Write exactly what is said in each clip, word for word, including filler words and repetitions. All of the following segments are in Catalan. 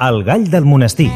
El gall del monestir.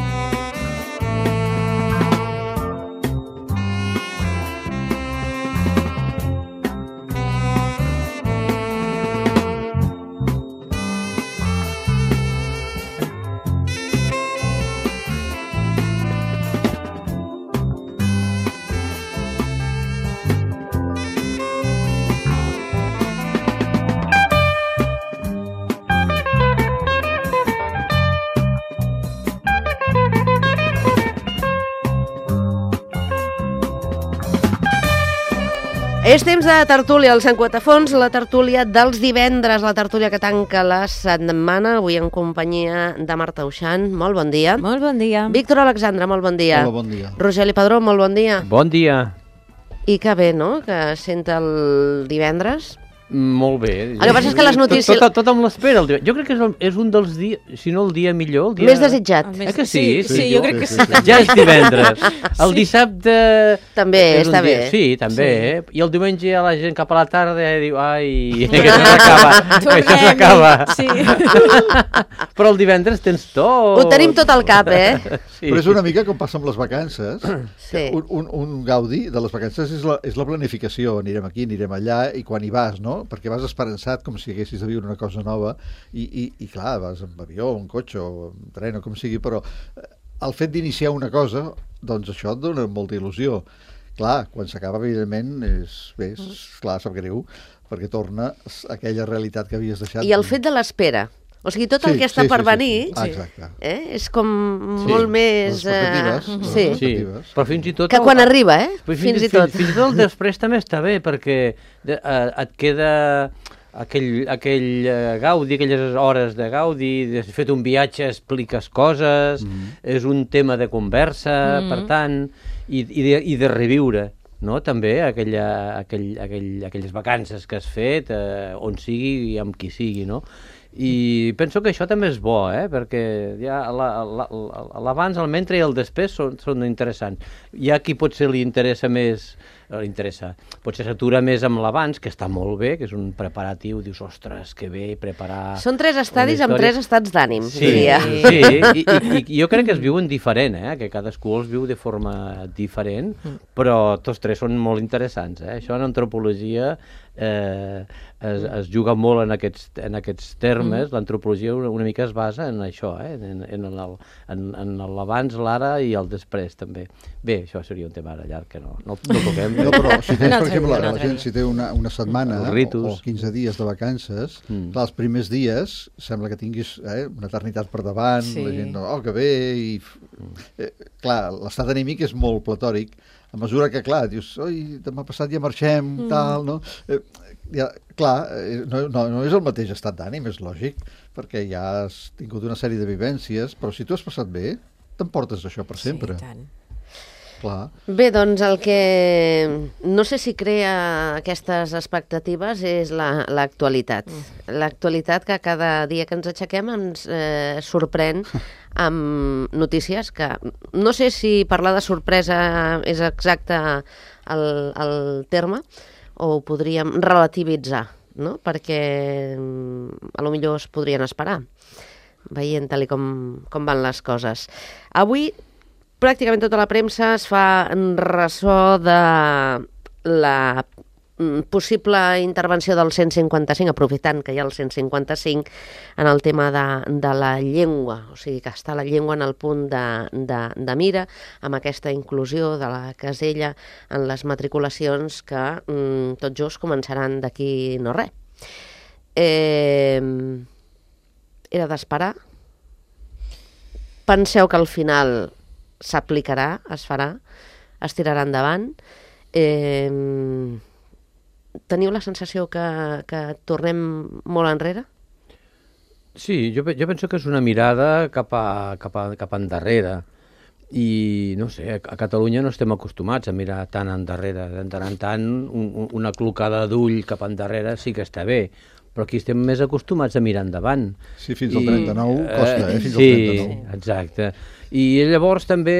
És temps de tertúlia al Sant Quatafons, la tertúlia dels divendres, la tertúlia que tanca la setmana, avui en companyia de Marta Uixant. Molt bon dia. Molt bon dia. Víctor Alexandre, molt bon dia. Hola, bon dia. Rogeli Padró, molt bon dia. Bon dia. I que bé, no?, que sent el divendres. Molt bé. El que passa és que les notícies... Tot, tot, tot amb l'espera. Jo crec que és, el, és un dels dies, si no el dia millor... El dia... Més desitjat. Eh que sí? Sí, sí, jo crec que sí. Ja és divendres. El dissabte... També, està bé. Sí, també. Sí. I el diumenge a la gent cap a la tarda diu, ai, que això s'acaba, que això s'acaba. Sí. Però el divendres tens tot. Ho tenim tot al cap, eh? Sí. Però és una mica com passa amb les vacances. Sí. Un, un, un gaudi de les vacances és la, és la planificació. Anirem aquí, anirem allà, i quan hi vas, no? Perquè vas esperançat com si haguessis de viure una cosa nova i, i, i clar, vas amb avió, en cotxe o en tren o com sigui, però el fet d'iniciar una cosa, doncs això et dona molta il·lusió. Clar, quan s'acaba, evidentment, és, bé, és, clar, sap greu, perquè torna a aquella realitat que havies deixat. I el fet de l'espera. O sigui, tot el Sí, que està sí, per sí, sí, venir sí. Ah, exacte. eh, és com Sí. molt més... Les expectatives, eh, les sí. Sí, expectatives. però fins i tot... Que quan arriba, eh? Però Fins i tot. Fins, fins i tot el després també està bé, perquè de, uh, et queda aquell, aquell uh, gaudi, aquelles hores de gaudi, de fet un viatge expliques coses, mm. és un tema de conversa, mm. per tant, i, i, de, i de reviure, no? També aquella, aquell, aquell, aquelles vacances que has fet, eh, on sigui i amb qui sigui, no? I penso que això també és bo, eh? Perquè ja l'abans, el mentre i el després són, són interessants. Hi ha qui potser li interessa més, li interessa, potser s'atura més amb l'abans, que està molt bé, que és un preparatiu, dius, ostres, que bé, preparar... Són tres estadis amb tres estats d'ànim, Sí, diria. sí, i, i, i jo crec que es viuen diferent, eh? Que cadascú els viu de forma diferent, però tots tres són molt interessants, eh? Això en antropologia eh, es, es juga molt en aquests, en aquests termes, mm. l'antropologia una, una mica es basa en això, eh? en, en, el, en, en l'abans, l'ara i el després també. Bé, això seria un tema ara llarg que no, no, no toquem. No, però si tens, Un per altre exemple, dia, un la altre gent, dia. si té una, una setmana Els o, ritus. o quinze dies de vacances, Mm. clar, els primers dies sembla que tinguis eh, una eternitat per davant, Sí. la gent, oh, que bé, i... Eh, clar, l'estat anímic és molt platòric, a mesura que, clar, dius, oi, demà passat ja marxem, mm. tal, no? Eh, ja, clar, eh, no, no, no és el mateix estat d'ànim, és lògic, perquè ja has tingut una sèrie de vivències, però si tu has passat bé, t'emportes això per sempre. Sí, tant. Clar. Bé, doncs el que no sé si crea aquestes expectatives és la- l'actualitat. La, L'actualitat que cada dia que ens aixequem ens eh, sorprèn amb notícies que no sé si parlar de sorpresa és exacte el, el terme o ho podríem relativitzar, no? Perquè mm, a lo millor es podrien esperar veient tal i com, com van les coses. Avui pràcticament tota la premsa es fa en ressò de la mm, possible intervenció del cent cinquanta cinc, aprofitant que hi ha el cent cinquanta cinc, en el tema de, de la llengua, o sigui que està la llengua en el punt de, de, de mira, amb aquesta inclusió de la casella en les matriculacions que mm, tot just començaran d'aquí no res. Eh, era d'esperar. Penseu que al final s'aplicarà, es farà, es tirarà endavant. Eh, teniu la sensació que, que tornem molt enrere? Sí, jo, pe- jo penso que és una mirada cap, a, cap, a, cap endarrere. I, no sé, a Catalunya no estem acostumats a mirar tan endarrere. De tant en tant, un, un- una clocada d'ull cap endarrere sí que està bé, però aquí estem més acostumats a mirar endavant. Sí, fins al trenta-nou costa, eh? Fins al sí, trenta-nou. exacte. I llavors també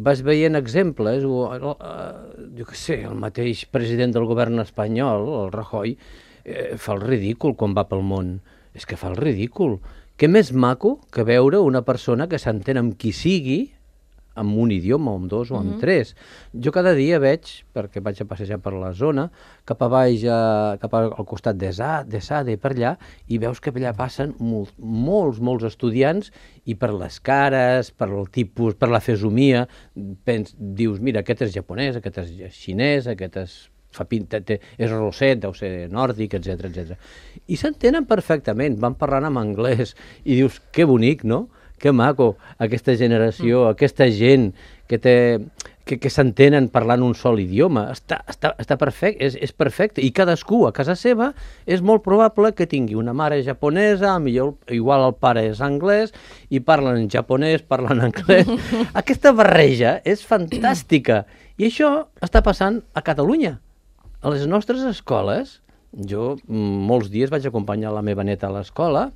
vas veient exemples, o, o, eh, jo què sé, el mateix president del govern espanyol, el Rajoy, eh, fa el ridícul quan va pel món. És que fa el ridícul. què més maco que veure una persona que s'entén amb qui sigui, amb un idioma, o amb dos, o amb mm-hmm. tres. Jo cada dia veig, perquè vaig a passejar per la zona, cap a baix, a, cap al costat de Sade, per allà, i veus que allà passen molt, molts, molts estudiants, i per les cares, per el tipus, per la fesomia, pens, dius, mira, aquest és japonès, aquest és xinès, aquest és... Fa pinta, té, és rosset, deu ser nòrdic, etcètera, etcètera. I s'entenen perfectament, van parlant en anglès, i dius, que bonic, no? Que maco, aquesta generació, mm. aquesta gent que, té, que, que s'entenen parlant un sol idioma. Està, està, està perfecte, és, és perfecte. I cadascú a casa seva és molt probable que tingui una mare japonesa, millor, igual el pare és anglès, i parlen en japonès, parlen anglès. Aquesta barreja és fantàstica. I això està passant a Catalunya. A les nostres escoles, jo molts dies vaig acompanyar la meva neta a l'escola,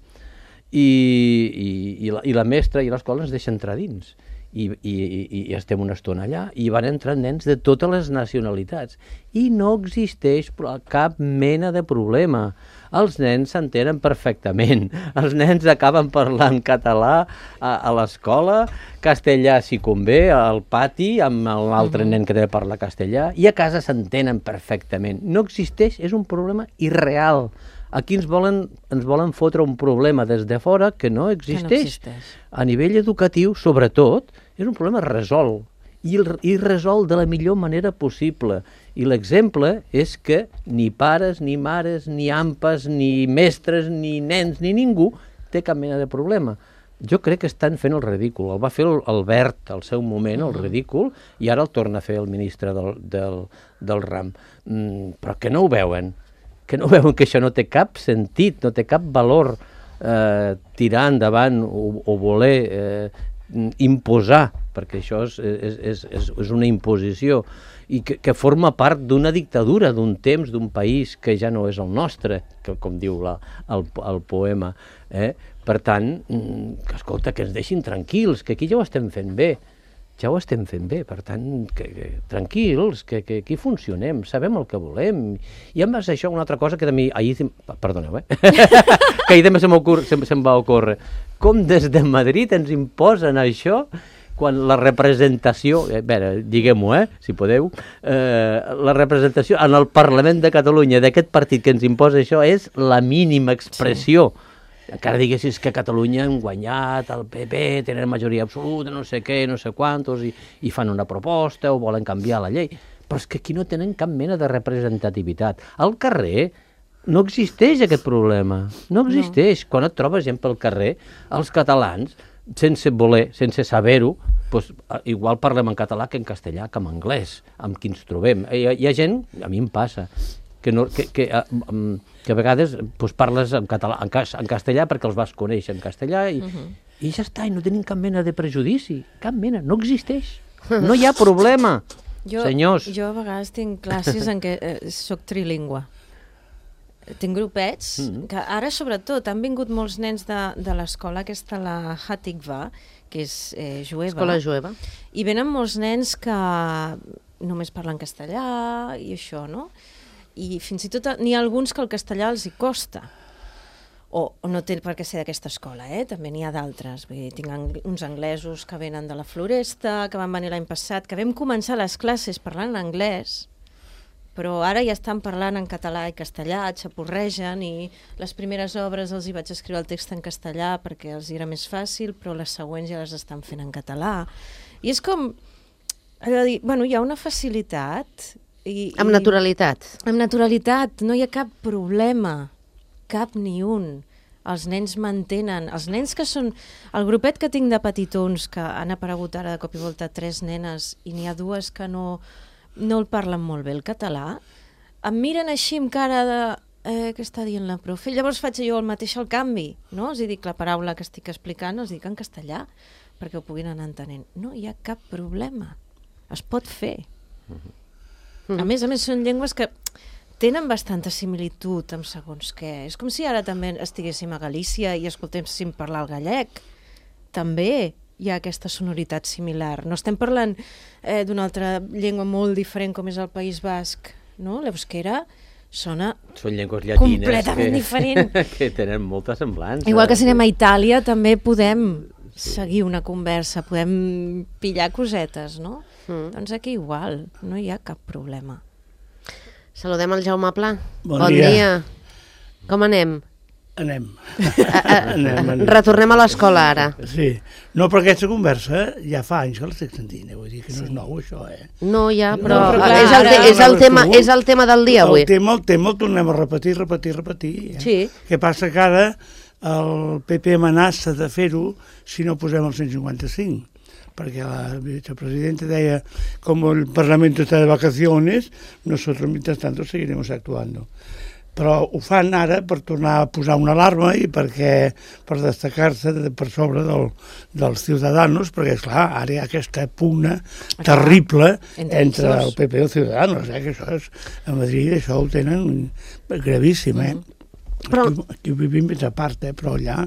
i, i, i, la, i la mestra i l'escola ens deixa entrar dins. I, i, i estem una estona allà, i van entrar nens de totes les nacionalitats. I no existeix cap mena de problema. Els nens s'entenen perfectament. Els nens acaben parlant català a, a l'escola, castellà si convé, al pati, amb l'altre nen que deu parlar castellà, i a casa s'entenen perfectament. No existeix, és un problema irreal. Aquí ens volen, ens volen fotre un problema des de fora que no existeix. Que no existeix. A nivell educatiu, sobretot, és un problema resolt, i, i resolt de la millor manera possible. I l'exemple és que ni pares, ni mares, ni ampes, ni mestres, ni nens, ni ningú té cap mena de problema. Jo crec que estan fent el ridícul. El va fer el Albert al seu moment, el ridícul, i ara el torna a fer el ministre del, del, del RAM. Mm, però que no ho veuen. Que no veuen que això no té cap sentit, no té cap valor eh, tirar endavant o, o voler eh, imposar, perquè això és, és, és, és una imposició, i que, que forma part d'una dictadura, d'un temps, d'un país que ja no és el nostre, que, com diu la, el, el poema. Eh? Per tant, que, escolta, que ens deixin tranquils, que aquí ja ho estem fent bé. Ja ho estem fent bé, per tant, que, que, tranquils, que, que aquí funcionem, sabem el que volem. I a més això, una altra cosa que de mi, ahir, perdoneu, eh? que ahir també se'm, se, se'm va ocórrer. Com des de Madrid ens imposen això, quan la representació, a veure, diguem-ho, eh, si podeu, eh, la representació en el Parlament de Catalunya d'aquest partit que ens imposa això és la mínima expressió. Sí. Encara diguessis que a Catalunya han guanyat el P P, tenen majoria absoluta, no sé què, no sé quantos, i, i fan una proposta o volen canviar la llei. Però és que aquí no tenen cap mena de representativitat. Al carrer no existeix aquest problema, no existeix. No. Quan et trobes gent pel carrer, els catalans, sense voler, sense saber-ho, doncs, igual parlem en català que en castellà, que en anglès, amb qui ens trobem. Hi ha, hi ha gent, a mi em passa, que, no, que, que, que a vegades doncs, parles en, català, en, cas, en castellà perquè els vas conèixer en castellà i, uh-huh. i ja està, i no tenim cap mena de prejudici, cap mena, no existeix. No hi ha problema, jo, senyors. Jo a vegades tinc classes en què eh, soc trilingüe. Tinc grupets, mm-hmm. que ara sobretot han vingut molts nens de, de l'escola aquesta, la Hatikva, que és eh, jueva. Escola jueva. I venen molts nens que només parlen castellà i això, no? I fins i tot n'hi ha alguns que el castellà els hi costa. O, o no té per què ser d'aquesta escola, eh? També n'hi ha d'altres. Tinc ang uns anglesos que venen de la Floresta, que van venir l'any passat, que vam començar les classes parlant anglès, però ara ja estan parlant en català i castellà, xapurregen, i les primeres obres els hi vaig escriure el text en castellà perquè els era més fàcil, però les següents ja les estan fent en català. I és com... Dir, bueno, hi ha una facilitat... I, amb naturalitat. I, amb naturalitat, no hi ha cap problema, cap ni un. Els nens mantenen, els nens que són... El grupet que tinc de petitons, que han aparegut ara de cop i volta tres nenes, i n'hi ha dues que no, no el parlen molt bé el català, em miren així amb cara de... Eh, què està dient la profe? Llavors faig jo el mateix al canvi, no? Els dic la paraula que estic explicant, els dic en castellà, perquè ho puguin anar entenent. No hi ha cap problema. Es pot fer. Uh-huh. A més a més, són llengües que tenen bastanta similitud amb segons què. És com si ara també estiguéssim a Galícia i escoltéssim parlar el gallec. També hi ha aquesta sonoritat similar. No estem parlant eh, d'una altra llengua molt diferent com és el País Basc, no? L'euskera sona Són llengües llatines completament que, diferent. que tenen molta semblança. Igual que si anem a Itàlia també podem seguir una conversa, podem pillar cosetes, no? Mm. Doncs aquí igual, no hi ha cap problema. Saludem el Jaume Pla. Bon bon dia. dia. Com anem? Anem. A, a, anem, anem. Retornem a l'escola ara. Sí. No, però aquesta conversa ja fa anys que l'estic sentint, eh? Vull dir que no és nou això, eh? No, ja, però, No, però clar, és, el te, ara- és, el tema, és el tema del dia avui. El tema, el tema el tornem a repetir, repetir, repetir. Eh? Sí. Què passa que ara el P P amenaça de fer-ho si no posem el cent cinquanta-cinc. Perquè la vicepresidenta deia, como el Parlamento está de vacaciones, nosotros mientras tanto seguiremos actuando. Però ho fan ara per tornar a posar una alarma i perquè per destacar-se de, per sobre del, dels ciutadans, perquè, esclar, ara hi ha aquesta pugna terrible entre entre ells el dos. P P i els ciutadans, eh? Que això és, a Madrid això ho tenen gravíssim, eh? Però- Aquí, aquí ho vivim més a part, eh? Però allà...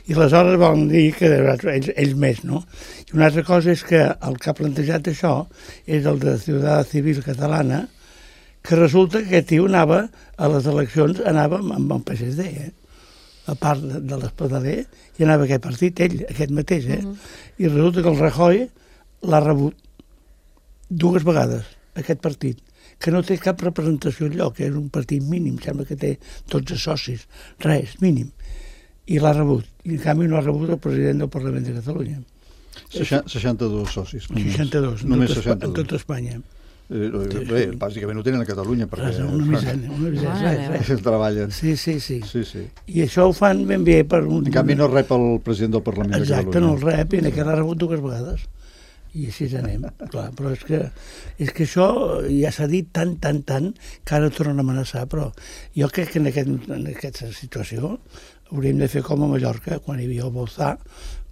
I aleshores volen dir que ells, ells més, no? I una altra cosa és que el que ha plantejat això és el de Ciutat Civil Catalana, que resulta que aquest tio anava a les eleccions, anava amb el P S D, eh? A part de, de l'Espadaler, i anava a aquest partit, ell, aquest mateix, eh? Uh -huh. I resulta que el Rajoy l'ha rebut dues vegades, aquest partit, que no té cap representació enlloc, que és un partit mínim, sembla que té dotze socis, res, mínim, i l'ha rebut. I en canvi no ha rebut el president del Parlament de Catalunya. seixanta-dos socis. Només. seixanta-dos, en, Només tot, Espa- en seixanta-dos. tot Espanya. Eh, bé, bàsicament ho tenen a Catalunya perquè Res, una misèria, una misèria, Mare res, res. treballen. Sí, sí, sí. Sí, sí. I això ho fan ben bé per un... En canvi no rep el president del Parlament Exacte, de no Catalunya. el rep, i en aquest l'ha rebut dues vegades. I així anem, clar, però és que, és que això ja s'ha dit tant, tant, tant, que ara tornen a amenaçar, però jo crec que en, aquest, en aquesta situació hauríem de fer com a Mallorca, quan hi havia el Bolzà,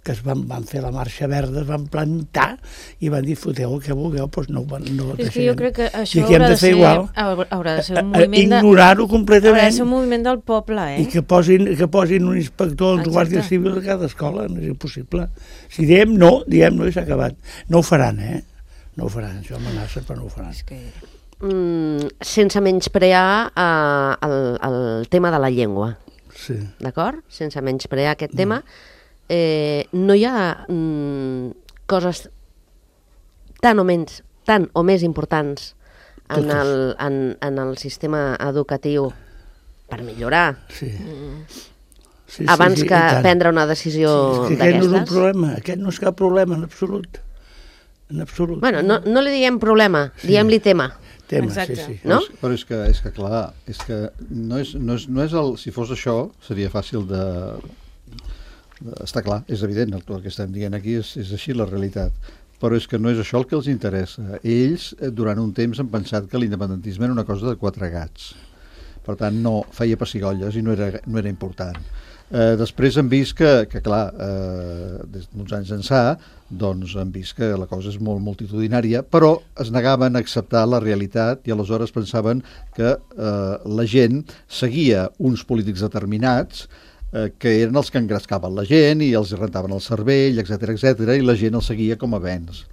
que es van, van fer la marxa verda, es van plantar i van dir, foteu el que vulgueu, doncs no, no És que jo crec que això I aquí hem haurà de de, fer ser, igual. haurà de ser un A- a moviment de... ignorar-ho Haurà de completament ser un moviment del poble, eh? i que posin, que posin un inspector, Exacte. un guàrdia civil a cada escola, no és impossible. Si diem no, diem no i s'ha acabat. No ho faran, eh? No ho faran, això amenaça, però no ho faran. És que... Mm, sense menysprear eh, el, el tema de la llengua, Sí. d'acord? Sense menysprear aquest tema, eh, no hi ha mm, coses tan o menys, tan o més importants en Totes. el, en, en el sistema educatiu per millorar Sí. Sí, abans sí, que i tant. prendre una decisió És que aquest no és un d'aquestes? problema, aquest no és cap problema en absolut. En absolut. Bueno, no, no li diguem problema, Sí. diguem-li tema. Tema, Exacte. sí, sí. No? Però és, però és que, és que clar, és que no és, no és, no és el, si fos això, seria fàcil de, de... Està clar, és evident, el, el que estem dient aquí és, és així la realitat. Però és que no és això el que els interessa. Ells, eh, durant un temps, han pensat que l'independentisme era una cosa de quatre gats. Per tant, no feia pessigolles i no era, no era important. Eh, després han vist que, que clar, eh, des d'uns anys ençà, doncs han vist que la cosa és molt multitudinària, però es negaven a acceptar la realitat i aleshores pensaven que eh, la gent seguia uns polítics determinats eh, que eren els que engrescaven la gent i els rentaven el cervell, etcètera, etcètera, i la gent els seguia com a béns.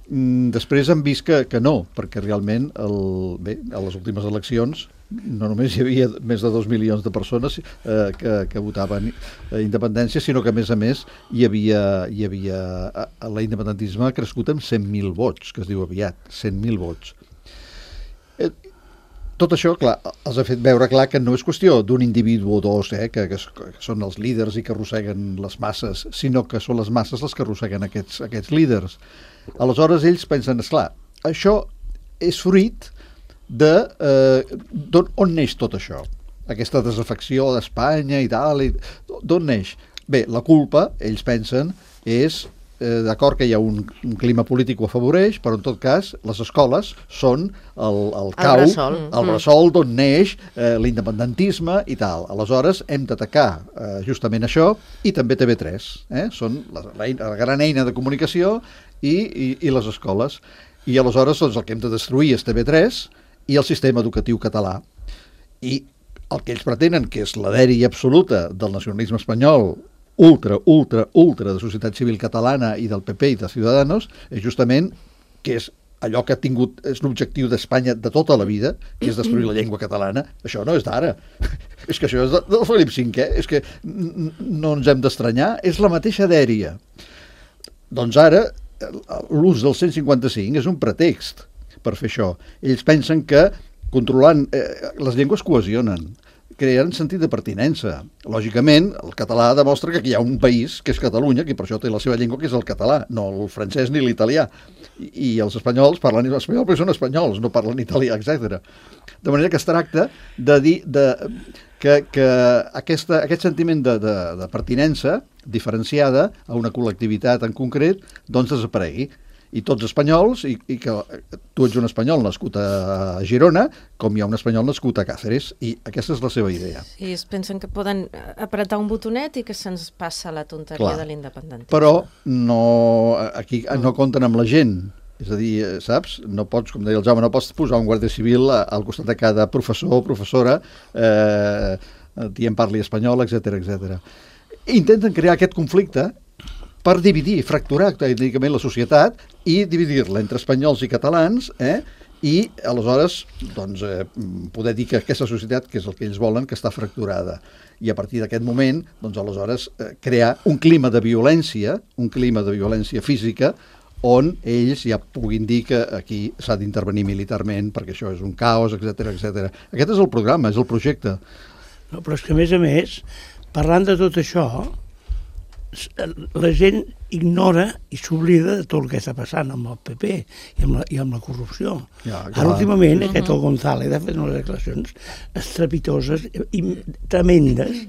Mm, després han vist que, que no, perquè realment el, bé, a les últimes eleccions no només hi havia més de dos milions de persones eh, que, que votaven eh, independència, sinó que a més a més hi havia, hi havia eh, l'independentisme ha crescut amb cent mil vots, que es diu aviat, cent mil vots. Eh, tot això, clar, els ha fet veure clar que no és qüestió d'un individu o dos, eh, que, que, que són els líders i que arrosseguen les masses, sinó que són les masses les que arrosseguen aquests, aquests líders. Aleshores ells pensen, esclar, això és fruit de eh, d'on on neix tot això, aquesta desafecció d'Espanya i tal, i d'on neix? Bé, la culpa, ells pensen, és eh, d'acord que hi ha un, un clima polític que ho afavoreix, però en tot cas les escoles són el, el cau, bressol. el bressol d'on neix eh, l'independentisme i tal. Aleshores hem d'atacar eh, justament això, i també T V tres, eh? Són la, la, la gran eina de comunicació i, i, i les escoles. I aleshores doncs, el que hem de destruir és T V tres i el sistema educatiu català. I el que ells pretenen, que és la dèria absoluta del nacionalisme espanyol, ultra, ultra, ultra de societat civil catalana i del P P i de Ciudadanos, és justament que és allò que ha tingut, és l'objectiu d'Espanya de tota la vida, que és destruir la llengua catalana, això no és d'ara. És que això és de, del Felip cinquè, és que no ens hem d'estranyar, és la mateixa dèria. Doncs ara, l'ús del cent cinquanta cinc és un pretext per fer això. Ells pensen que controlant... Eh, les llengües cohesionen, creen sentit de pertinença. Lògicament, el català demostra que aquí hi ha un país, que és Catalunya, que per això té la seva llengua, que és el català, no el francès ni l'italià. I, i els espanyols parlen espanyol perquè són espanyols, no parlen italià, etcètera. De manera que es tracta de dir de, que, que aquesta, aquest sentiment de, de, de pertinença diferenciada a una col·lectivitat en concret, doncs desaparegui. I tots espanyols, i, i que tu ets un espanyol nascut a Girona, com hi ha un espanyol nascut a Càceres, i aquesta és la seva idea. Sí, es pensen que poden apretar un botonet i que se'ns passa la tonteria Clar. de l'independentisme. Però no, aquí no compten amb la gent. És a dir, saps? No pots, com deia el Jaume, no pots posar un guàrdia civil al costat de cada professor o professora eh, dient parli espanyol, etcètera, etcètera. Intenten crear aquest conflicte per dividir, fracturar tècnicament la societat i dividir-la entre espanyols i catalans, eh? I aleshores doncs, eh, poder dir que aquesta societat, que és el que ells volen, que està fracturada. I a partir d'aquest moment, doncs, aleshores, eh, crear un clima de violència, un clima de violència física, on ells ja puguin dir que aquí s'ha d'intervenir militarment perquè això és un caos, etcètera, etcètera. Aquest és el programa, és el projecte. No, però és que, a més a més, parlant de tot això, la gent ignora i s'oblida de tot el que està passant amb el P P i amb la, i amb la corrupció. Ja, Ara, últimament, uh -huh. aquest el González ha fet unes declaracions estrepitoses i tremendes,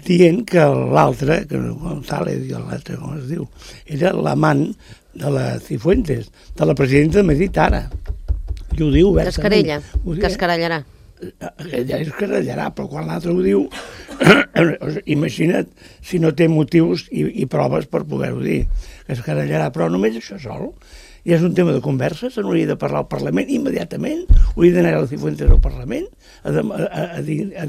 dient que l'altre, que el González i l'altre, com es diu, era l'amant de la Cifuentes, de la presidenta de Madrid ara. I ho diu obertament. Cascarella, cascarellarà. Ja es carallarà, però quan l'altre ho diu, imagina't si no té motius i, i proves per poder-ho dir, que es carallarà, però només això sol. Ja és un tema de conversa, se n'hauria de parlar al Parlament immediatament, hauria d'anar a la Cifuentes al Parlament a, a, a, a, a,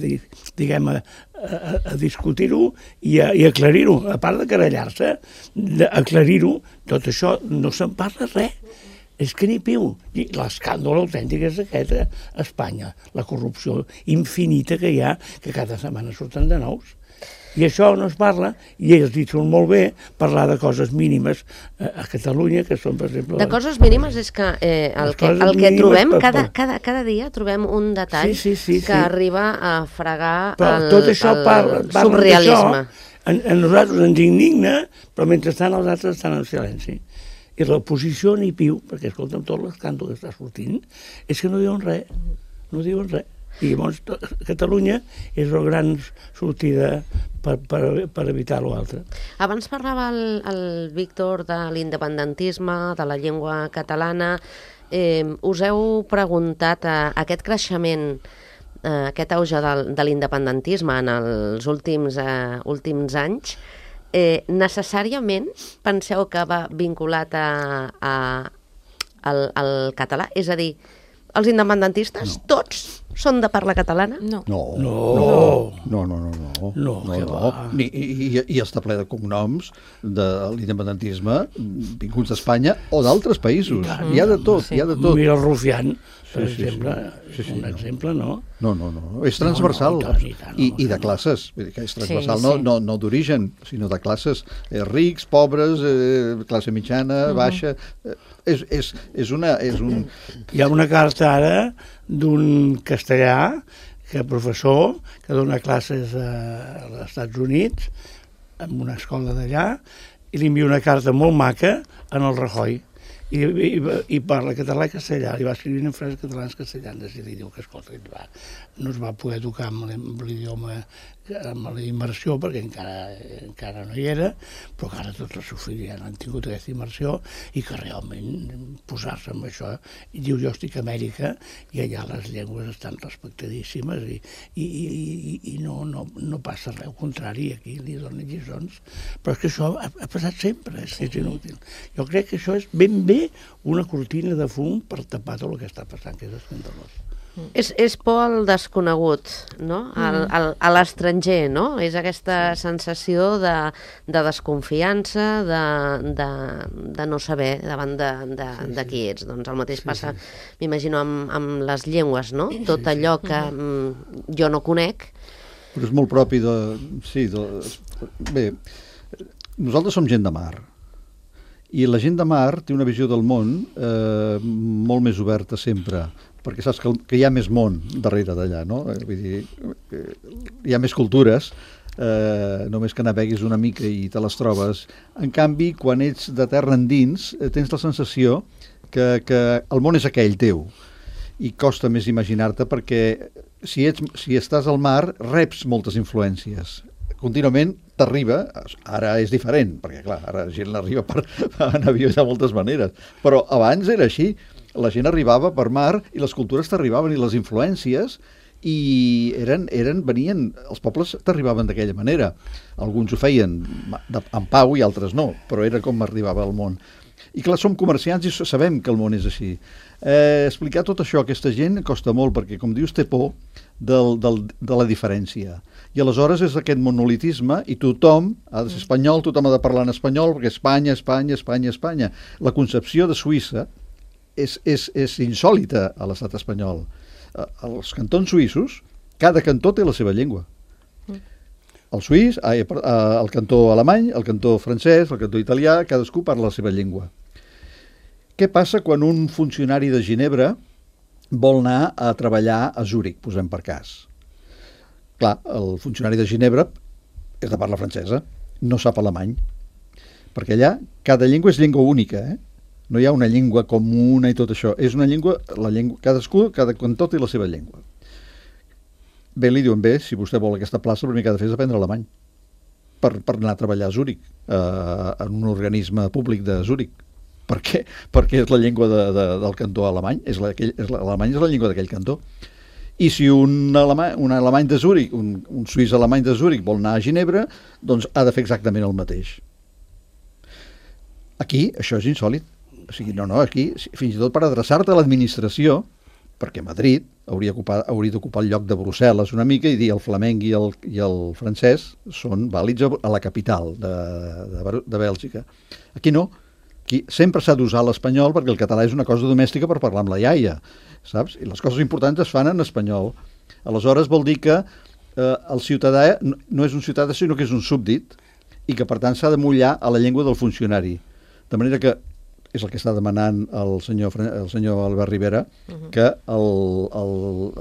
diguem, a, a, a discutir-ho i a, i aclarir-ho. A part de carallar-se, aclarir-ho, tot això no se'n parla res. És que ni piu. I l'escàndol autèntic és aquest a Espanya, la corrupció infinita que hi ha, que cada setmana surten de nous. I això no es parla, i ells hi surt molt bé parlar de coses mínimes a Catalunya, que són, per exemple... De coses mínimes és que eh, el, que, el que trobem, per, cada, cada, cada dia trobem un detall sí, sí, sí, que sí. arriba a fregar però el, tot això el parla, parla surrealisme. A, a nosaltres ens indigna, però mentrestant els altres estan en silenci. I l'oposició ni piu, perquè escolta'm, tot l'escàndol que està sortint, és que no diuen res, no diuen res. I llavors Catalunya és la gran sortida per, per, per evitar l'altre. Abans parlava el, el Víctor de l'independentisme, de la llengua catalana. Eh, us heu preguntat a, a aquest creixement, eh, aquest auge de, de l'independentisme en els últims, eh, últims anys, Eh, necessàriament penseu que va vinculat a, a, al, al català? És a dir, els independentistes, no. tots, són de parla catalana? No. No. No. No, no, no, no. No, no, que no. va. I, i, I està ple de cognoms de l'independentisme vinguts d'Espanya o d'altres països. Hi ha de tot, Sí. hi ha de tot. Mira el Rufián, per Sí, sí, exemple, sí. Sí, sí, un no. exemple, no? No, no, no, és transversal. No, no, i tant, i tant, I, no, i de no. classes, vull dir que és transversal, Sí, no, sí. no, no d'origen, sinó de classes, eh, rics, pobres, eh, classe mitjana, baixa, eh, és, és, és, una, és un... Hi ha una carta ara d'un castellà, que professor, que dona classes a, als Estats Units, en una escola d'allà, i li envia una carta molt maca en el Rajoy. I, i, i parla català i castellà, li va escrivint en frases catalans castellanes i li diu que, escolta, va, no es va poder tocar amb l'idioma, amb la immersió, perquè encara, encara no hi era, però que ara tots els seus fills ja han tingut aquesta immersió i que realment posar-se amb això, i diu, jo estic a Amèrica i allà les llengües estan respectadíssimes i, i, i, i no, no, no passa res, al contrari, aquí li donen lliçons, però és que això ha, ha passat sempre, és, és inútil. Jo crec que això és ben bé una cortina de fum per tapar tot el que està passant, que és escandalós. És, és por al desconegut, no? Al, al, a l'estranger, no? És aquesta sensació de, de desconfiança, de, de, de no saber davant de, de, sí, sí. de qui ets. Doncs el mateix sí, passa, sí. m'imagino, amb, amb les llengües, no? Tot allò que mm, jo no conec. Però és molt propi de... Sí, de... Bé, nosaltres som gent de mar. I la gent de mar té una visió del món eh, molt més oberta sempre, perquè saps que, que hi ha més món darrere d'allà, no? Vull dir, hi ha més cultures, eh, només que naveguis una mica i te les trobes. En canvi, quan ets de terra endins, eh, tens la sensació que, que el món és aquell teu, i costa més imaginar-te perquè si, ets, si estàs al mar reps moltes influències. Contínuament t'arriba, ara és diferent, perquè clar, ara la gent l'arriba per, en avió de moltes maneres, però abans era així, la gent arribava per mar i les cultures t'arribaven i les influències i eren, eren, venien, els pobles t'arribaven d'aquella manera. Alguns ho feien en pau i altres no, però era com arribava al món. I clar, som comerciants i sabem que el món és així. Eh, explicar tot això a aquesta gent costa molt perquè, com dius, té por del, del, de la diferència. I aleshores és aquest monolitisme i tothom ha de ser espanyol, tothom ha de parlar en espanyol perquè Espanya, Espanya, Espanya, Espanya. La concepció de Suïssa és, és, és insòlita a l'estat espanyol. Els cantons suïssos, cada cantó té la seva llengua. El suís, el cantó alemany, el cantó francès, el cantó italià, cadascú parla la seva llengua. Què passa quan un funcionari de Ginebra vol anar a treballar a Zúrich, posem per cas? Clar, el funcionari de Ginebra és de parla francesa, no sap alemany, perquè allà cada llengua és llengua única, eh? No hi ha una llengua comuna i tot això. És una llengua, la llengua, cadascú, cada cantó té la seva llengua. Bé, li diuen, bé, si vostè vol aquesta plaça, el primer que ha de fer és aprendre alemany per, per anar a treballar a Zúrich, eh, en un organisme públic de Zúrich. Per què? Perquè és la llengua de, de, del cantó alemany, és la, aquell, és la, l'alemany és la llengua d'aquell cantó. I si un alemany, un alemany de Zúrich, un, un suís alemany de Zúrich vol anar a Ginebra, doncs ha de fer exactament el mateix. Aquí, això és insòlit. O sigui, no, no, aquí, fins i tot per adreçar-te a l'administració, perquè Madrid hauria, ocupar, hauria d'ocupar el lloc de Brussel·les una mica i dir el flamenc i el, i el francès són vàlids a la capital de, de, de Bèlgica. Aquí no. Aquí sempre s'ha d'usar l'espanyol perquè el català és una cosa domèstica per parlar amb la iaia, saps? I les coses importants es fan en espanyol. Aleshores vol dir que eh, el ciutadà no, no és un ciutadà sinó que és un súbdit i que per tant s'ha de mullar a la llengua del funcionari. De manera que és el que està demanant el senyor, el senyor Albert Rivera, uh-huh. que el, el,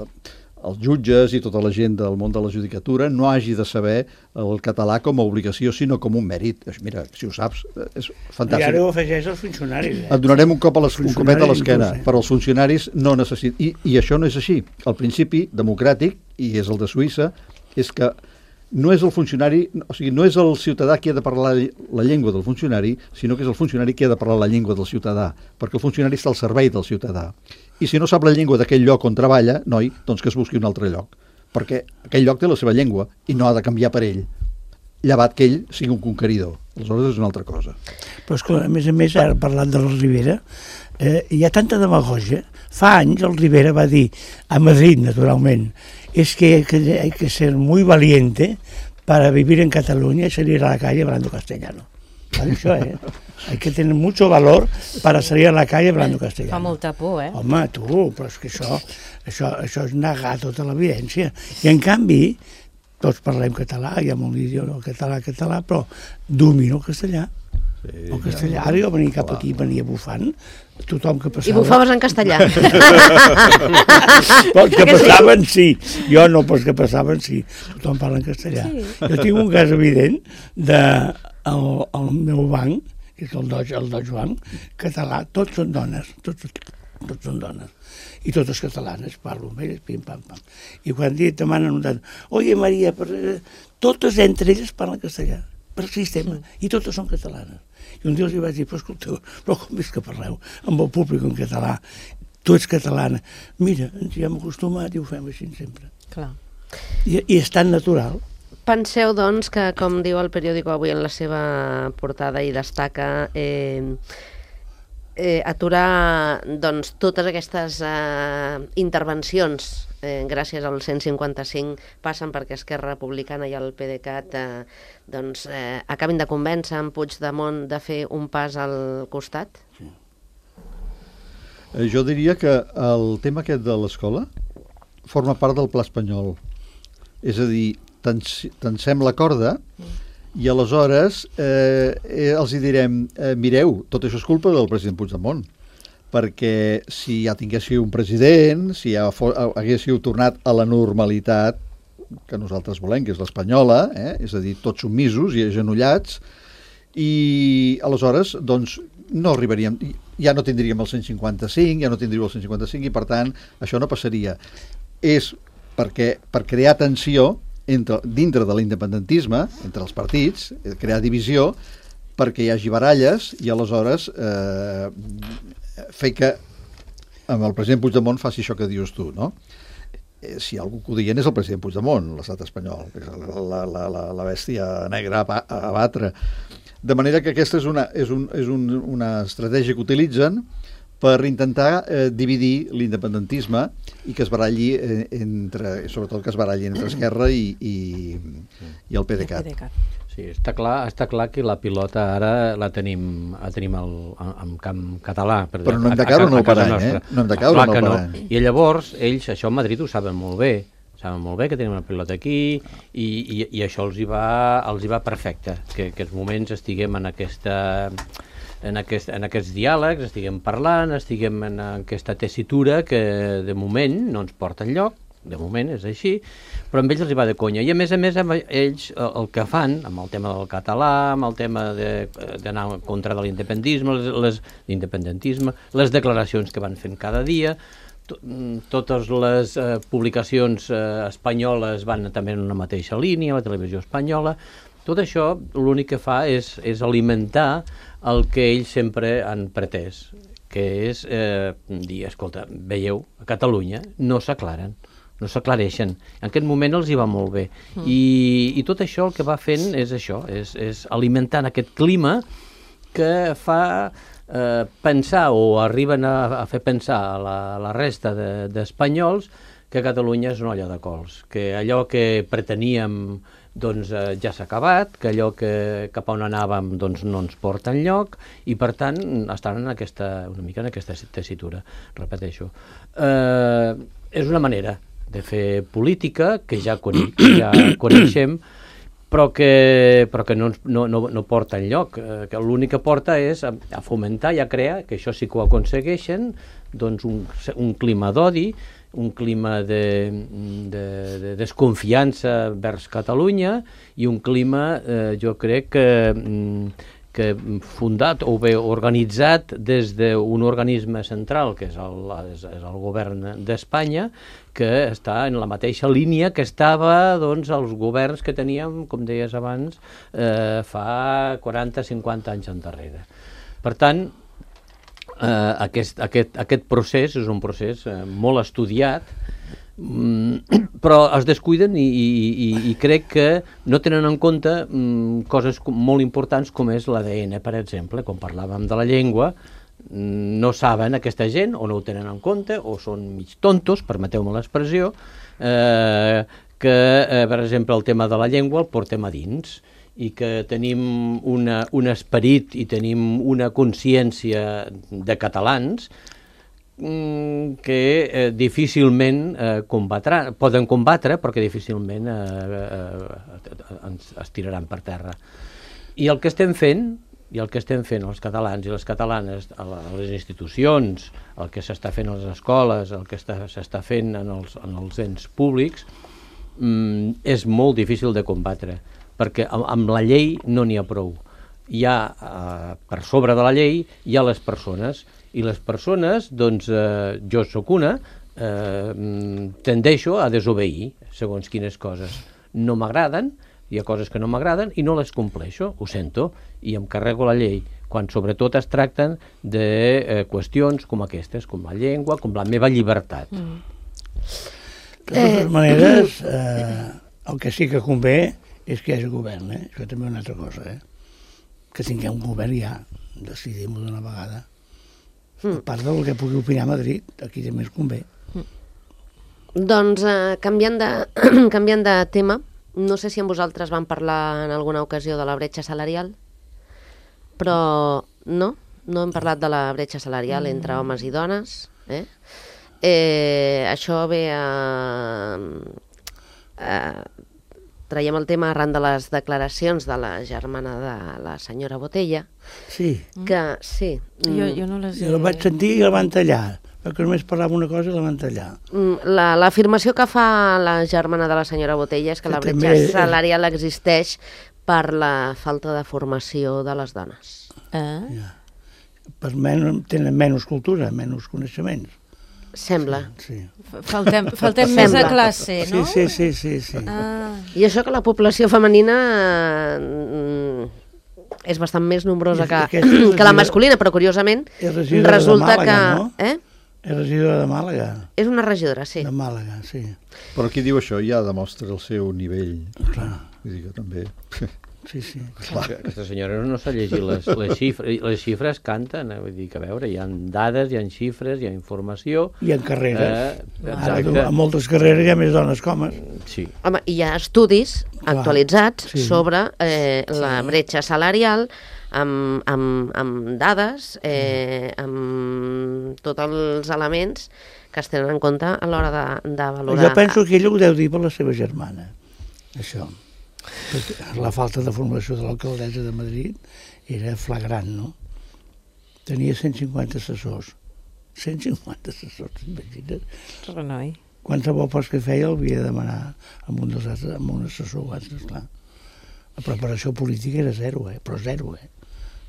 els jutges i tota la gent del món de la judicatura no hagi de saber el català com a obligació, sinó com un mèrit. Mira, si ho saps, és fantàstic. I ara ho afegeix als funcionaris. Eh? Et donarem un cop a les, un copet a l'esquena, però els funcionaris no necessiten... I, I això no és així. El principi democràtic, i és el de Suïssa, és que no és el funcionari, o sigui, no és el ciutadà qui ha de parlar la llengua del funcionari, sinó que és el funcionari qui ha de parlar la llengua del ciutadà, perquè el funcionari està al servei del ciutadà. I si no sap la llengua d'aquell lloc on treballa, noi, doncs que es busqui un altre lloc, perquè aquell lloc té la seva llengua i no ha de canviar per ell, llevat que ell sigui un conqueridor. Aleshores és una altra cosa. Però esclar, a més a més, ara parlant de la Rivera, eh, hi ha tanta demagògia. Fa anys el Rivera va dir, a Madrid, naturalment, es que hay que, hay que ser muy valiente para vivir en Cataluña y salir a la calle hablando castellano. Va dir això, eh? Hay que tener mucho valor para salir a la calle hablando castellano. Fa molta por, eh? Home, tu, però és que això, això, això és negar tota l'evidència. I en canvi, tots parlem català, hi ha molt idioma català, català, però domino el castellà. Sí, el castellà, ara jo venia cap aquí, venia bufant, tothom que passava... I bufaves en castellà. Els que passaven sí, jo no, però els que passaven sí, tothom parla en castellà. Sí. Jo tinc un cas evident de el, el meu banc, que és el Deutsche, el Deutsche Bank, català, tots són dones, tots, tots són dones. I totes catalanes, parlo amb elles, pim, pam, pam. I quan et demanen un tant, oye Maria, per... totes entre elles parlen castellà, per sistema, i totes són catalanes. I un dia els vaig dir, però escolteu, però com és que parleu amb el públic en català? Tu ets catalana. Mira, ens hi hem acostumat i ho fem així sempre. Clar. I, i és tan natural. Penseu, doncs, que, com diu el periòdico avui en la seva portada i destaca, eh, eh, aturar doncs, totes aquestes eh, intervencions eh, gràcies al cent cinquanta-cinc passen perquè Esquerra Republicana i el PDeCAT eh, doncs, eh, acabin de convèncer en Puigdemont de fer un pas al costat? Sí. Eh, jo diria que el tema aquest de l'escola forma part del pla espanyol. És a dir, tens, tensem la corda i aleshores eh, eh, els hi direm, eh, mireu, tot això és culpa del president Puigdemont, perquè si ja tinguéssiu un president, si ja fos, haguéssiu tornat a la normalitat que nosaltres volem, que és l'espanyola, eh, és a dir, tots submisos i agenollats, i aleshores, doncs, no arribaríem, ja no tindríem el cent cinquanta-cinc, ja no tindríeu el cent cinquanta-cinc, i per tant, això no passaria. És perquè, per crear tensió entre, dintre de l'independentisme, entre els partits, crear divisió, perquè hi hagi baralles i aleshores eh, fer que amb el president Puigdemont faci això que dius tu, no? Eh, si algú que ho dient és el president Puigdemont, l'estat espanyol, que és la, la, la, la bèstia negra a, a batre. De manera que aquesta és una, és un, és un, una estratègia que utilitzen per intentar eh, dividir l'independentisme i que es baralli eh, entre, sobretot que es baralli entre Esquerra i, i, i el PDeCAT. Sí, està clar, està clar que la pilota ara la tenim, la tenim al, en camp català. Per Però no hem de caure en el parany, eh? No hem de caure en el parany. No. I llavors, ells, això a Madrid ho saben molt bé, saben molt bé que tenim una pilota aquí i, i, i això els hi va, els hi va perfecte, que, que els moments estiguem en aquesta... En, aquest, en aquests diàlegs, estiguem parlant, estiguem en aquesta tessitura que de moment no ens porta enlloc, de moment és així, però amb ells els hi va de conya. I a més a més, amb ells el que fan, amb el tema del català, amb el tema d'anar en contra de l'independentisme, les, les, l'independentisme, les declaracions que van fent cada dia, to, totes les eh, publicacions eh, espanyoles van també en una mateixa línia, la televisió espanyola. Tot això l'únic que fa és, és alimentar el que ells sempre han pretès, que és eh, dir, escolta, veieu, a Catalunya no s'aclaren, no s'aclareixen. En aquest moment els hi va molt bé. Mm. I, I tot això el que va fent és això, és, és alimentant aquest clima que fa eh, pensar o arriben a, a fer pensar a la, a la resta d'espanyols de, que Catalunya és una olla de cols, que allò que preteníem doncs eh, ja s'ha acabat, que allò que cap a on anàvem doncs, no ens porta enlloc i per tant estan en aquesta, una mica en aquesta tessitura, repeteixo. Eh, és una manera de fer política que ja, coneix, que ja coneixem, però que, però que no, no, no, no porta enlloc, eh, que l'únic que porta és a, a fomentar i a crear, que això sí que ho aconsegueixen, doncs un, un clima d'odi, un clima de, de, de desconfiança vers Catalunya i un clima, eh, jo crec que, que fundat o bé organitzat des d'un organisme central, que és el, és, és el govern d'Espanya, que està en la mateixa línia que estava doncs, els governs que teníem, com deies abans, eh, fa quaranta a cinquanta anys endarrere. Per tant, Uh, aquest, aquest, aquest procés és un procés uh, molt estudiat, um, però es descuiden i, i, i, i crec que no tenen en compte um, coses molt importants com és l'A D N, per exemple, com parlàvem de la llengua, um, no saben aquesta gent o no ho tenen en compte o són mig tontos, permeteu-me l'expressió, uh, que, uh, per exemple, el tema de la llengua el portem a dins i que tenim una, un esperit i tenim una consciència de catalans mm, que eh, difícilment eh, combatran, poden combatre perquè difícilment eh, eh, ens es tiraran per terra. I el que estem fent, i el que estem fent els catalans i les catalanes a les institucions, el que s'està fent a les escoles, el que s'està fent en els, en els ens públics, mm, és molt difícil de combatre, perquè amb la llei no n'hi ha prou. Hi ha, eh, per sobre de la llei, hi ha les persones, i les persones, doncs, eh, jo sóc una, eh, tendeixo a desobeir segons quines coses. No m'agraden, hi ha coses que no m'agraden i no les compleixo, ho sento, i em carrego la llei, quan sobretot es tracten de eh, qüestions com aquestes, com la llengua, com la meva llibertat. Mm. De totes maneres, eh, el que sí que convé és que hi hagi govern, eh? Això també és una altra cosa, eh? Que tinguem un govern ja, decidim-ho d'una vegada. A part del que pugui opinar Madrid, aquí també es convé. Doncs eh, canviant, de, canviant de tema, no sé si amb vosaltres van parlar en alguna ocasió de la bretxa salarial, però no, no hem parlat de la bretxa salarial entre homes i dones. Eh? Eh, això ve a... a traiem el tema arran de les declaracions de la germana de la senyora Botella, Sí, que sí... Jo, jo no les he... jo la vaig sentir i la van tallar, perquè només parlava una cosa i la van tallar. Mm, la- L'afirmació que fa la germana de la senyora Botella és que Que la també bretxa és- salarial existeix per la falta de formació de les dones. Eh? Ja. Per menys, tenen menys cultura, menys coneixements. Sembla. Sí, Faltem, faltem Sembla. més a classe, no? sí, sí, sí, sí, sí. Ah, I això que la població femenina mm, és bastant més nombrosa I que, aquesta és que la regidora- masculina, però curiosament És regidora de resulta Màlaga, que... no? Eh? És regidora de Màlaga, És una regidora, sí. de Màlaga, sí. Però qui diu això ja demostra el seu nivell. Clar, Vull dir que també... sí, sí. Aquesta senyora no s'ha llegit les, les xifres. Les xifres canten, eh? Vull dir que, a veure, hi ha dades, hi ha xifres, hi ha informació. I en carreres. Eh, Ara, exacte. a moltes carreres hi ha més dones que homes. Sí. Home, hi ha estudis Clar, actualitzats sí. sobre eh, la bretxa salarial amb, amb, amb dades, eh, amb tots els elements que es tenen en compte a l'hora de, de valorar. Jo penso que ella ho deu dir per la seva germana, això. Perquè la falta de formació de l'alcaldessa de Madrid era flagrant, no? Tenia cent cinquanta assessors. cent cinquanta assessors, imagina't. renoi. Qualsevol post que feia el havia de demanar amb un, dels altres, amb un assessor o altre, esclar. La preparació política era zero, eh? Però zero, eh?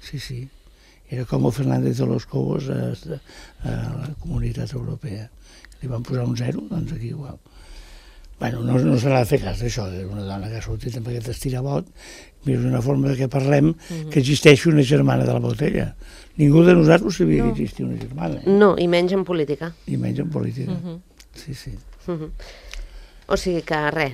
Sí, sí. Era com el Fernández de los Cobos a, a la Comunitat Europea. Li van posar un zero, doncs aquí igual. Bueno, no, no se n'ha de fer cas d'això, una dona que ha sortit amb aquest estirabot, és una forma de que parlem Mhm. que existeixi una germana de la Botella. Ningú de nosaltres sabia no. que existia una germana, eh? No, i menys en política. I menys en política. Mhm. Sí, sí. Mhm. O sigui que res,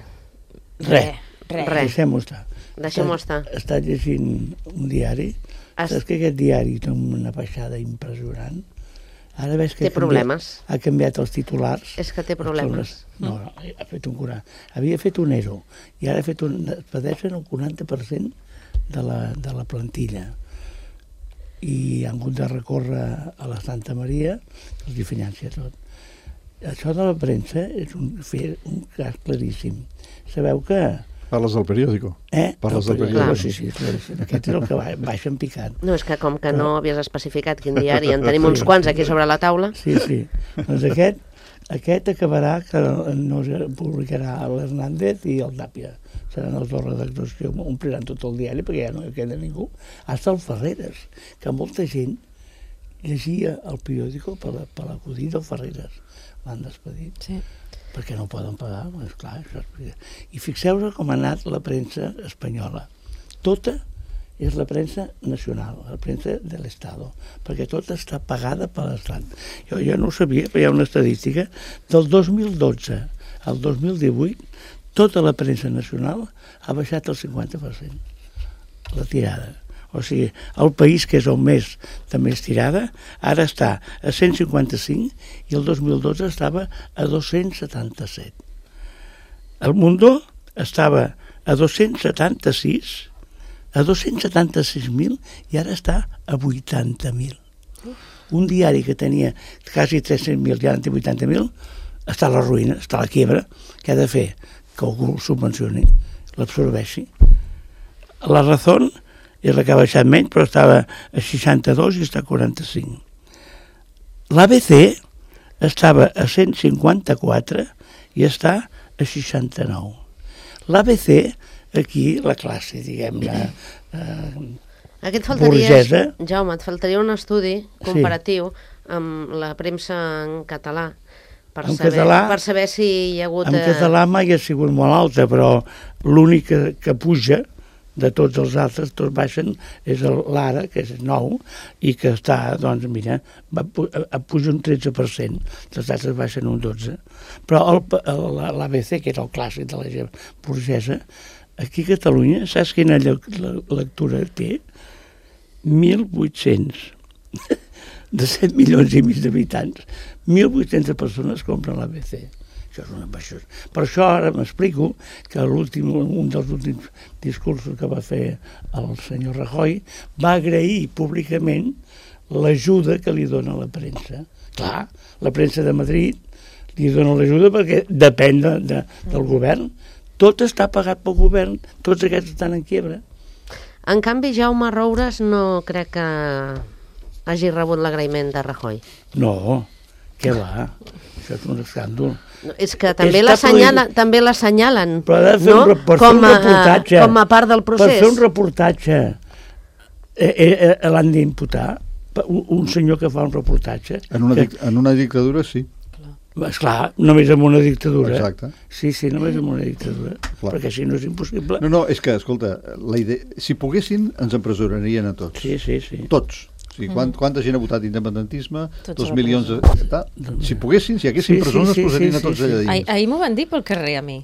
Res, Res. res. deixem-ho estar. Deixem-ho estar. He estat llegint un diari. Has- Saps que aquest diari té una baixada impressionant? Ara veig que Té ha canviat- problemes. Ha canviat els titulars. És que té problemes. No, no, ha fet un curar. Havia fet un E R O i ara ha fet un... Padeixen el quaranta per cent de la, de la plantilla. I han hagut de recórrer a la Santa Maria, que els hi financia tot. Això de la premsa és un, fer un cas claríssim. Sabeu que... Parles del periòdico. Eh? Parles No, del però- periòdico. Sí, sí, claríssim. Aquest és el que va, baixa en picant. No, és que com que no havies especificat quin diari, en tenim uns quants aquí sobre la taula. Sí, sí. Doncs aquest, aquest acabarà que no es publicarà l'Hernández i el Tàpia. Seran els dos redactors que ompliran tot el diari perquè ja no hi queda ningú. Hasta el Ferreres, que molta gent llegia el periòdico per, la, per l'acudit del Ferreres. L'han despedit. Sí. Perquè no poden pagar, és clar. Això és... I fixeu-vos com ha anat la premsa espanyola. Tota és la premsa nacional, la premsa de l'Estado, perquè tota està pagada per l'Estat. Jo, jo no ho sabia, però hi ha una estadística. Del dos mil dotze al dos mil divuit, tota la premsa nacional ha baixat el cinquanta per cent, la tirada. O sigui, el país, que és el més de més tirada, ara està a cent cinquanta-cinc i el dos mil dotze estava a dos-cents setanta-set. El Mundo estava a dos-cents setanta-sis, a dos-cents setanta-sis mil i ara està a vuitanta mil. Un diari que tenia quasi tres-cents mil i ara en té vuitanta mil, està a la ruïna, està a la quiebra. Què ha de fer? Que algú el subvencioni, l'absorbeixi. La Razón és la que ha baixat menys, però estava a seixanta-dos i està a quaranta-cinc. L'A B C estava a cent cinquanta-quatre i està a seixanta-nou. L'A B C, aquí, la classe, diguem-ne, eh, Aquí et faltaria, burgesa. Jaume, et faltaria un estudi comparatiu amb la premsa en català per, En saber, català- per saber si hi ha hagut... en eh, català mai ha sigut molt alta, però l'únic que, que puja de tots els altres, tots baixen, és el- l'Ara, que és nou, i que està, doncs, mira, va, pu- a- puja un tretze per cent, els altres baixen un dotze per cent. Però el, el, l'A B C, que és el clàssic de la gent burgesa, aquí a Catalunya, saps quina lle- la- lectura té? mil vuit-cents. de set milions i mig d'habitants, mil vuit-centes persones compren l'A B C. Això és una baixosa. Per això ara m'explico que l'últim, un dels últims discursos que va fer el senyor Rajoy va agrair públicament l'ajuda que li dona la premsa. Clar, la premsa de Madrid li dona l'ajuda perquè depèn de, de, del govern. Tot està pagat pel govern, tots aquests estan en quiebra. En canvi, Jaume Roures no crec que hagi rebut l'agraïment de Rajoy. No, què va? Això és un escàndol. No, és que també l'assenyalen, també l'assenyalen, Però ha de fer no? un, per fer com, un a, reportatge. com a part del procés. Per fer un reportatge eh, eh, eh, l'han d'imputar un, un senyor que fa un reportatge. En una, que, dic en una dictadura, sí. Esclar, només amb una dictadura. Exacte. Sí, sí, només amb una dictadura. Clar. Perquè així no és impossible. No, no, és que, escolta, la idea, si poguessin, ens empresonarien a tots. Sí, sí, sí. Tots. O sigui, quant, quanta gent ha votat independentisme? Tots Dos a la milions de... Ta, si poguessin, si hi haguessin Sí, sí, presons, sí, es posarien sí, a tots sí, allà sí. dins. Ahir, ahir m'ho van dir pel carrer a mi.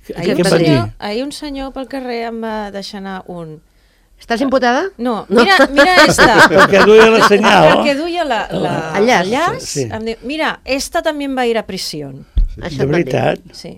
Què Ahir un, què em van dir? senyor, ahir un senyor pel carrer em va deixar anar un... Estàs imputada? No, mira, mira esta. Perquè duia la senyal. Perquè duia la, la, El llaç. el llaç. Sí. Em diu, mira, esta també va ir a prisión. Això De et van dir. veritat. Sí.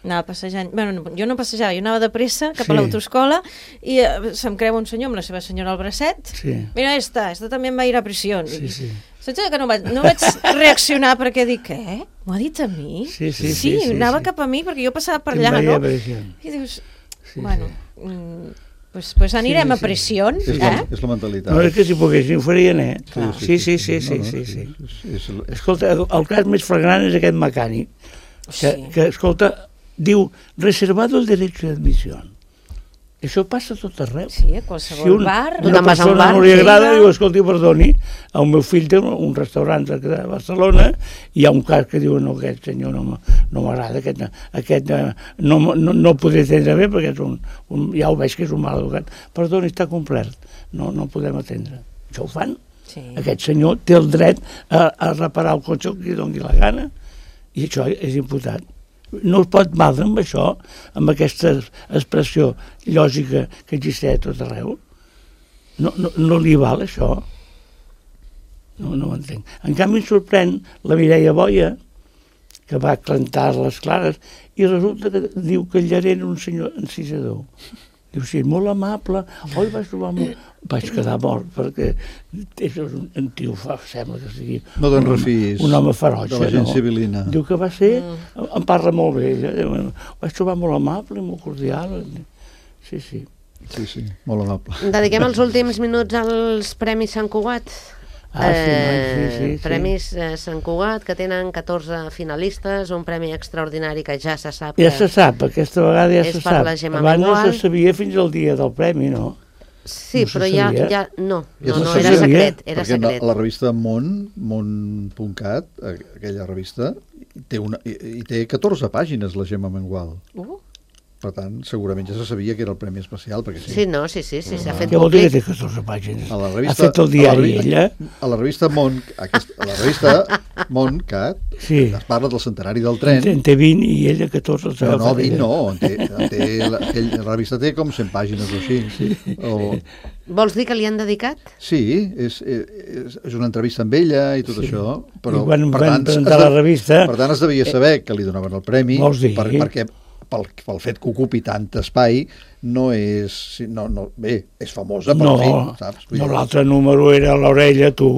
Anava passejant, bueno, no, jo no passejava, jo anava de pressa cap Sí. a l'autoescola i eh, se'm creu un senyor amb la seva senyora al bracet. Sí. Mira, esta, esta també va ir a prisión. Sí, sí. Saps que no vaig, no vaig reaccionar perquè dic, què? M'ho ha dit a mi? Sí, sí, sí, sí, sí, anava sí. cap a mi perquè jo passava per Te'n allà, vaig no? a prisión. I dius, Sí, bueno, sí. mm, pues, pues anirem Sí, a sí. prisión, És la, eh? és la mentalitat. No, és que si poguessin ho farien, eh? Clar. Sí, sí, sí, sí, No, no, sí, sí. és- és- és- Escolta, el, el cas més flagrant és aquest mecànic, que, Sí. que escolta, diu, reservado el derecho de admisión. Això passa a tot arreu. Sí, a qualsevol un, bar. Tu una te'n vas a un persona bar, no li sí, agrada, va. diu, escolti, perdoni, el meu fill té un, un restaurant de de Barcelona i hi ha un cas que diu, no, aquest senyor no, m- no m'agrada, aquest, aquest eh, no, m- no, no el podré atendre bé perquè és un, un, ja ho veig que és un mal educat. Perdoni, està complert, no, no el podem atendre. Això ho fan. Sí. Aquest senyor té el dret a, a reparar el cotxe que li doni la gana i això és imputat. No es pot valdre amb això, amb aquesta expressió lògica que existeix a tot arreu. No, no, no li val això. No, no ho entenc. En canvi, em sorprèn la Mireia Boia, que va cantar les clares, i resulta que diu que el llarent era un senyor encisador. Diu, sí, molt amable. Oi, vaig trobar molt... Vaig quedar mort, perquè és un, un tio, fa, sembla que sigui... No te'n un home- refiïs Un home ferotge, de la gent no? civilina. Diu que va ser... Mm. Em parla molt bé. Ella. Diu, vaig trobar molt amable, molt cordial. Sí, sí. Sí, sí, molt amable. Dediquem els últims minuts als Premis Sant Cugat. Ah, sí, noi, sí, sí, sí. Premis eh, Sant Cugat, que tenen catorze finalistes, un premi extraordinari que ja se sap Ja que... se sap, aquesta vegada ja És se per sap. la Gemma Abans no Mengual. se sabia fins al dia del premi, no? Sí, No se però ja, sabia. ja... No, Ja no, se no, sabia. era secret, era Perquè secret. la revista Món, món punt cat, aquella revista, té una, i, i té catorze pàgines, la Gemma Mengual. Uh, Per tant, segurament ja se sabia que era el Premi Especial, perquè sí. Sí, no, sí, sí, sí, s'ha fet Què vol dir que públic. té catorze pàgines? A la Ha revista, fet el a diari, la, revi- ella? A la revista Món, aquest, a la revista Món cat, Sí. es parla del centenari del tren. En té vint i ella catorze. els No, no, agafa vint ella. no, en té, en té, la, aquell, la revista té com cent pàgines o així. Sí, o, Vols dir que li han dedicat? sí és, és, és una entrevista amb ella i tot Sí. això. Però, I quan per van tant, presentar es de- la revista- Per tant, es devia saber que li donaven el premi, Vols dir? per, perquè pel, pel fet que ocupi tant espai, no és... No, no, bé, és famosa, però No, en fi, saps? Vull no dir- l'altre número era a l'orella, tu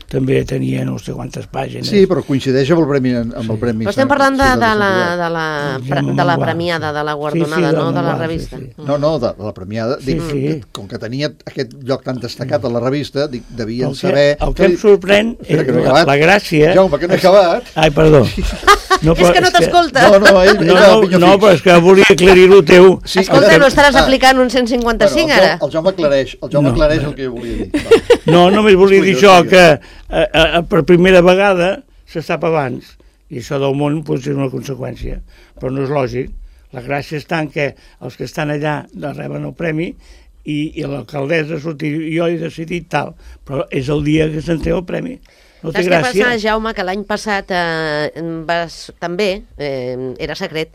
també tenia no sé quantes pàgines. Sí, però coincideix amb el premi. Amb el premi Però estem parlant de, sí, de, la, Sant de, la, Sí, pre- Gemma de la Mengual, premiada, sí. de la Sí, guardonada, sí, de la no de la Mengual, revista. sí, sí. No, no, de, de la premiada. Sí, Dic, sí. que, com que tenia aquest lloc tan destacat a la revista, dic, devien El que, saber... el que em sorprèn Espera, és que no he la, acabat. la gràcia... Jaume, que no he acabat. Ai, perdó. No, És que no t'escolta. No, no, ell, No, ell no, pinyó no, fix. però és que volia aclarir el teu... Sí, Escolta, el- no estaràs ah, aplicant un cent cinquanta-cinc bueno, el, ara? Jaume- el Jaume aclareix, el Jaume No. aclareix el que jo volia dir. Va. No, només volia dir Explica, això, que explica. a, a, per primera vegada se sap abans, i això del món pot ser una conseqüència, però no és lògic. La gràcia està en que els que estan allà reben el premi i, i l'alcaldessa sortir, jo he decidit tal, però és el dia que s'entrega el premi. No té Saps què gràcia. passa, Jaume, que l'any passat eh, vas, també, eh, era secret,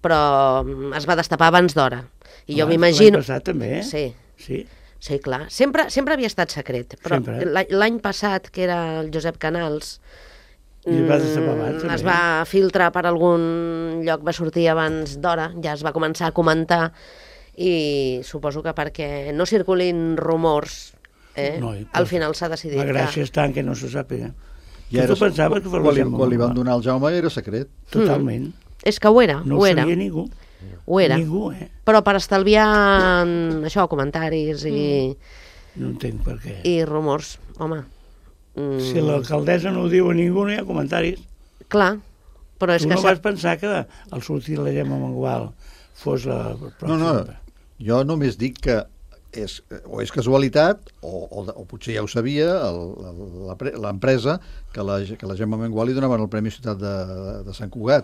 però mm, es va destapar abans d'hora. I jo Abans, m'imagino... l'any passat també, eh? Sí. Sí. Sí, clar. Sempre, sempre havia estat secret, però Sempre. l'any l'any passat, que era el Josep Canals, I es va destapar abans, mm, també. es va filtrar per algun lloc, va sortir abans d'hora, ja es va començar a comentar, i suposo que perquè no circulin rumors, eh, No, i al per- final s'ha decidit La gràcia que... està en que no se sàpiga. I Que era- tu pensaves que fos quan, li, la Gemma quan li van Mangual. donar al Jaume era secret. Totalment. És que ho era, No ho ho era, sabia ningú. ho era. Ningú, eh? Però per estalviar mm, això, comentaris i, No entenc per què. i rumors, home... Mm, Si l'alcaldessa no ho diu a ningú, no hi ha comentaris. clar, però és Tu que... no s'ha- vas pensar que al sortir la Gemma Mangual fos la No, pròxima? no, jo només dic que és, o és casualitat, o, o, o potser ja ho sabia el- el- la pre- l'empresa, que la, que la Gemma Mengual li donaven el Premi Ciutat de, de Sant Cugat,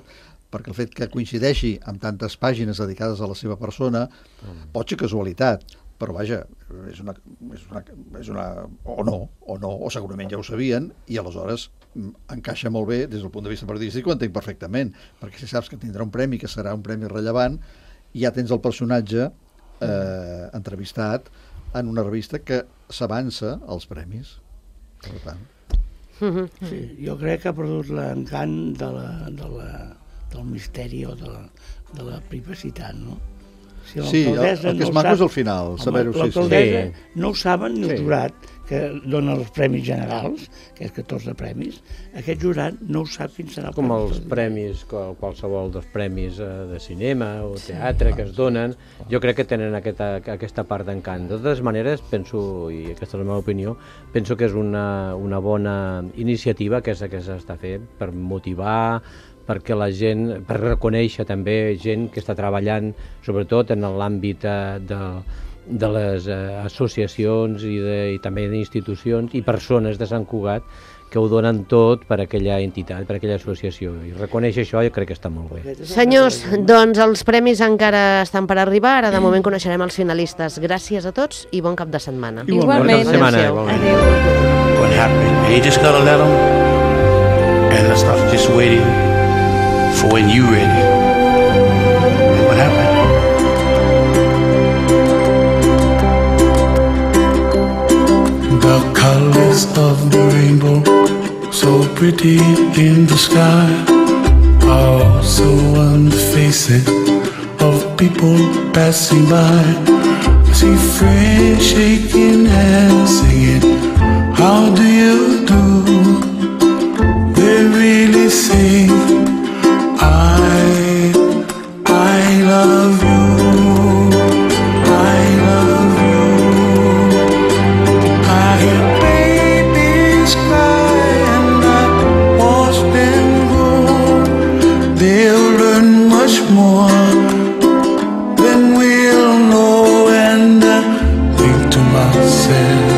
perquè el fet que coincideixi amb tantes pàgines dedicades a la seva persona mm. pot ser casualitat, però vaja, és una, és una, és una... o no, o no, o segurament ja ho sabien, i aleshores mm, encaixa molt bé des del punt de vista periodístic, ho entenc perfectament, perquè si saps que tindrà un premi, que serà un premi rellevant, ja tens el personatge eh, entrevistat en una revista que s'avança als premis. Per tant, Mhm. Sí, jo crec que ha perdut l'encant de la, de la, del misteri o de la, de la privacitat, no? Si sí, el, l'alcaldessa el que no és ho maco sap- és el final, Home, saber-ho. Sí, sí. l'alcaldessa Sí. no ho saben ni el Sí. jurat, que dona els premis generals, que és catorze premis, aquest jurat no ho sap quin serà el Com premi. els premis, qual- qualsevol dels premis eh, de cinema o teatre que es donen, jo crec que tenen aquesta, aquesta part d'encant. De totes maneres, penso, i aquesta és la meva opinió, penso que és una, una bona iniciativa que és la que s'està fent per motivar, perquè la gent, per reconèixer també gent que està treballant, sobretot en l'àmbit eh, de, de les eh, associacions i, de, i també d'institucions i persones de Sant Cugat que ho donen tot per aquella entitat, per aquella associació. I reconèixer això jo crec que està molt bé. Senyors, doncs els premis encara estan per arribar, ara de moment coneixerem els finalistes. Gràcies a tots i bon cap de setmana. Igualment. Bona setmana, Adéu-siau. igualment. Adéu. What happened? You just gotta let them, and let's stop just waiting for when you ready. And what happened? The colors of the rainbow, so pretty in the sky, are also on the faces of people passing by. I see friends shaking hands, singing, how do you do? They really say, I, I love you, I love you. I hear babies cry and I watch them grow. They'll learn much more than we'll know, and I think to myself,